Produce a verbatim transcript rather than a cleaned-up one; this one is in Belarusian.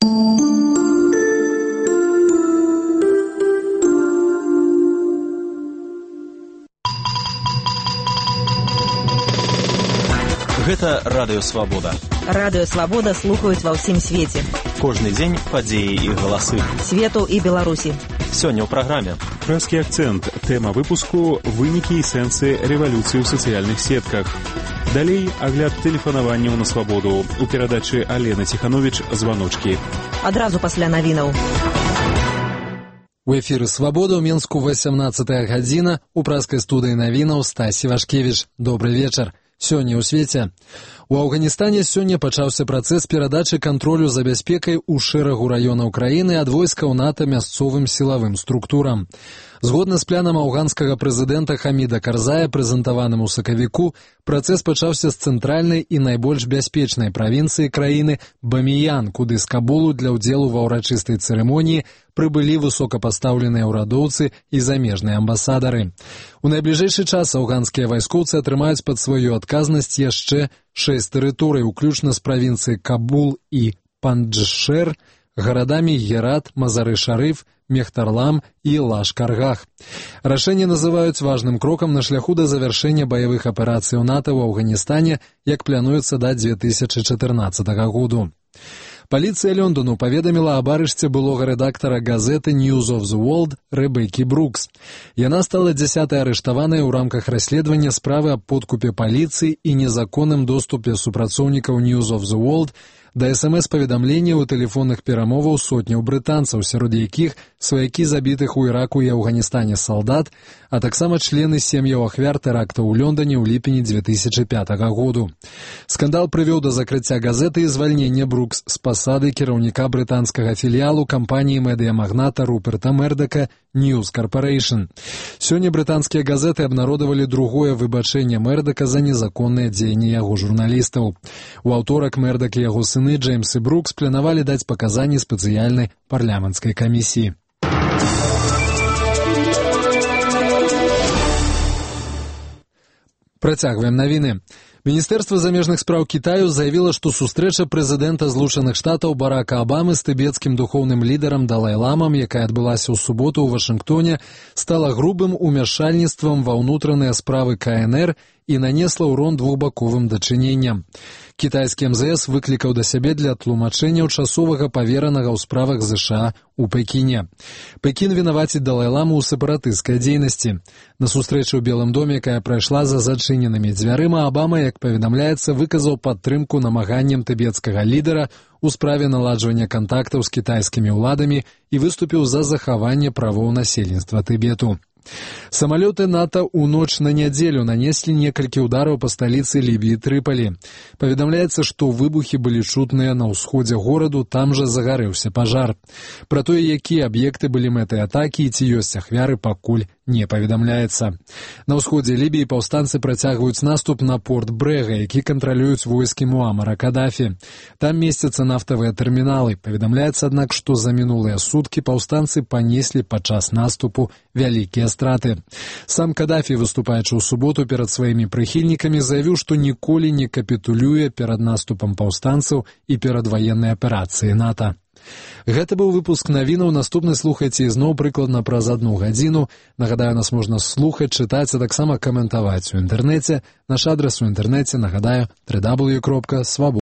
Гэта Радыё Свабода. Радыё Свабода слухаюць ва ўсім свеце. Кожны дзень падзеі і галасы. Свету і Беларусі. Сёння ў праграме. Прэскі акцэнт. Тэма выпуску «Вынікі і сэнсы рэвалюцыі ў сацыяльных сетках». Далей агляд тэлефанаванняў на свабоду. У перадачы Алена Ціхановіч «Званочкі». Адразу пасля навінаў. У эфіры «Свабода» ў Менску васямнаццатая гадзіна. У прэскай студыі навінаў Стасі Вашкевіч. Добры вечар. Сёння ў свеце. У Афганістане сёння пачаўся працэс перадачы кантролю за бяспекай у шэрагу раёнаў краіны ад войскаў НАТО мясцовым сілавым структурам. Згодна з планам афганскага прэзідэнта Хаміда Карзая, прэзентаваным у сакавіку, працэс пачаўся з цэнтральнай і найбольш бяспечнай правінцыі краіны Баміян, куды з Кабулу для ўдзелу ва ўрачыстай цырымоніі прыбылі высокапастаўленыя ўрадоўцы і замежныя амбасадары. У найбліжэйшы час афганскія вайскоўцы атрымаюць пад сваю адказнасць яшчэ шэсць тэрыторый, уключна з правінцыі Кабул і Панджшэр, гарадамі Герат, Мазары-Шарыф, Мехтарлам і Лашкаргах. Рашэнне называюць важным крокам на шляху да завяршэння баявых аперацый НАТО ў Афганістане, як плануецца да дзве тысячы чатырнаццатага году. Паліцыя Лондону паведаміла аб арышце былога рэдактара газеты News of the World Рэбекі Брукс. Яна стала дзясятай арыштаванай у рамках расследавання справы аб подкупе паліцыі і незаконным доступе супрацоўнікаў News of the World да эс эм эс-паведамленняў і тэлефонных перамоваў сотняў брытанцаў, сярод якіх сваякі забітых у Іраку і Афганістане салдат, а таксама члены сем'яў ахвяр тэрактаў у Лондоне ў ліпені дзве тысячы пятага году. Скандал прывёў да закрыцця газеты і звальнення Брукс з пасады кіраўніка брытанскага філіялу кампаніі медыямагната Руперта Мердака News Corporation. Сёння брытанскія газеты абнародавалі другое выбачэнне Мердака за незаконныя дзеянні яго журналістаў. У аўторак Мердак і яго сыны Джеймс і Брукс планавалі даць паказанні спецыяльнай парламенцкай камісіі. Працягваем навіны. Міністэрства замежных спраў Кітаю заявіла, што сустрэча прэзідэнта Злучаных Штатаў Барака Абамы з тыбецкім духоўным лідарам Далай-ламам, якая адбылася ў суботу ў Вашынгтоне, стала грубым умяшальніцтвам ва ўнутраныя справы ка эн эр і нанесла ўрон двухбаковым дачыненням. Кітайскі эм зэ эс выклікаў да сябе для тлумачэнняў часовага паверанага ў справах зэ ша а у Пекіне. Пекін вінаваціць Далай-ламу ў сепаратысцкай дзейнасці. На сустрэчы ў Белым доме, якая прайшла за зачыненымі дзвярыма, Абама, як паведамляецца, выказаў падтрымку намаганням тыбецкага лідара у справе наладжвання кантактаў з кітайскімі ўладамі і выступіў за захаванне правоў насельніцтва Тыбету. Самалёты НАТО ў ноч на нядзелю нанеслі некалькі ўдараў па сталіцы Лібіі Трыпалі. Паведамляецца, што выбухі былі чутныя на ўсходзе гораду, там жа загарэўся пажар. Пра тое, якія аб'екты былі мэтай атакі і ці ёсць ахвяры, пакуль не паведамляецца. На ўсходзе Лібіі паўстанцы працягваюць наступ на порт Брэга, які кантралююць войскі Муамара Кадафі. Там месцяцца нафтавыя тэрміналы. Паведамляецца, аднак, што за мінулыя суткі паўстанцы панеслі падчас наступу вялікія страты. Сам Кадафі, выступаючы ў суботу перад сваімі прыхільнікамі, заявіў, што ніколі не капітулюе перад наступам паўстанцаў і перад ваеннай аперацыяй НАТО. Гэта быў выпуск навінаў. Наступны слухайце ізноў прыкладна праз адну гадзіну. Нагадаю, нас можна слухаць, чытаць, а таксама каментаваць у інтэрнэце. Наш адрас у інтэрнэце, нагадаю, дабл ю дабл ю дабл ю кропка свабода.